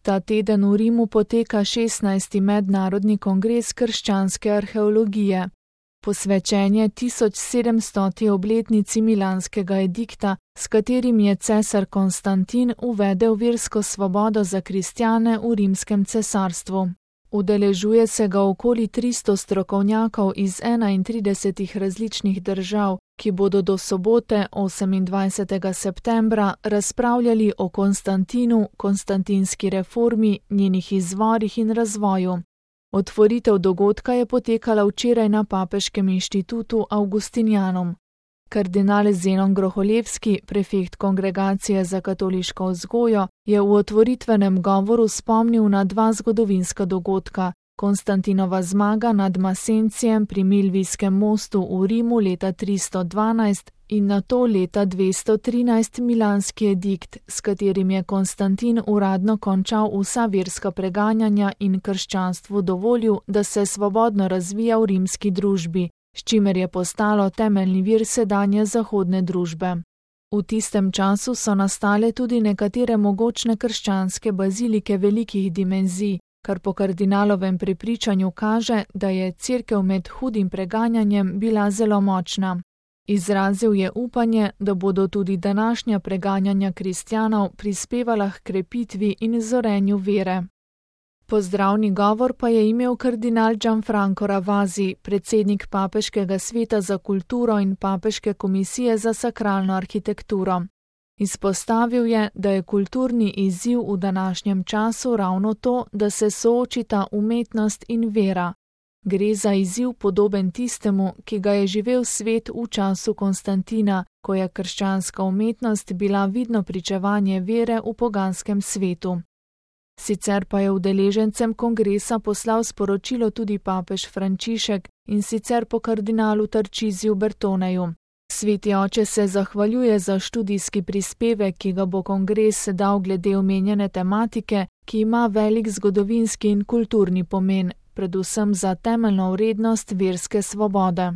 Ta teden v Rimu poteka 16. mednarodni kongres krščanske arheologije. Posvečenje 1700. obletnici milanskega edikta, s katerim je cesar Konstantin uvedel versko svobodo za kristjane v rimskem cesarstvu. Udeležuje se ga okoli 300 strokovnjakov iz 31 različnih držav, ki bodo do sobote 28. septembra razpravljali o Konstantinu, konstantinski reformi, njenih izvorih in razvoju. Otvoritev dogodka je potekala včeraj na Papeškem inštitutu Augustinianum. Kardinal Zenon Groholevski, prefekt Kongregacije za katoliško vzgojo, je v otvoritvenem govoru spomnil na dva zgodovinska dogodka: Konstantinova zmaga nad Masencijem pri Milvijskem mostu v Rimu leta 312 in nato leta 213 milanski edikt, s katerim je Konstantin uradno končal vsa verska preganjanja in krščanstvu dovolil, da se svobodno razvija v rimski družbi, s čimer je postalo temeljni vir sedanje zahodne družbe. V tistem času so nastale tudi nekatere mogočne krščanske bazilike velikih dimenzij, kar po kardinalovem prepričanju kaže, da je cerkev med hudim preganjanjem bila zelo močna. Izrazil je upanje, da bodo tudi današnja preganjanja kristjanov prispevala h krepitvi in zorenju vere. Pozdravni govor pa je imel kardinal Gianfranco Ravasi, predsednik Papeškega sveta za kulturo in Papeške komisije za sakralno arhitekturo. Izpostavil je, da je kulturni izziv v današnjem času ravno to, da se soočita umetnost in vera. Gre za izziv podoben tistemu, ki ga je živel svet v času Konstantina, ko je krščanska umetnost bila vidno pričevanje vere v poganskem svetu. Sicer pa je udeležencem kongresa poslal sporočilo tudi papež Frančišek, in sicer po kardinalu Tarčiziju Bertoneju. Sveti oče se zahvaljuje za študijski prispevek, ki ga bo kongres dal glede omenjene tematike, ki ima velik zgodovinski in kulturni pomen, predvsem za temeljno vrednost verske svobode.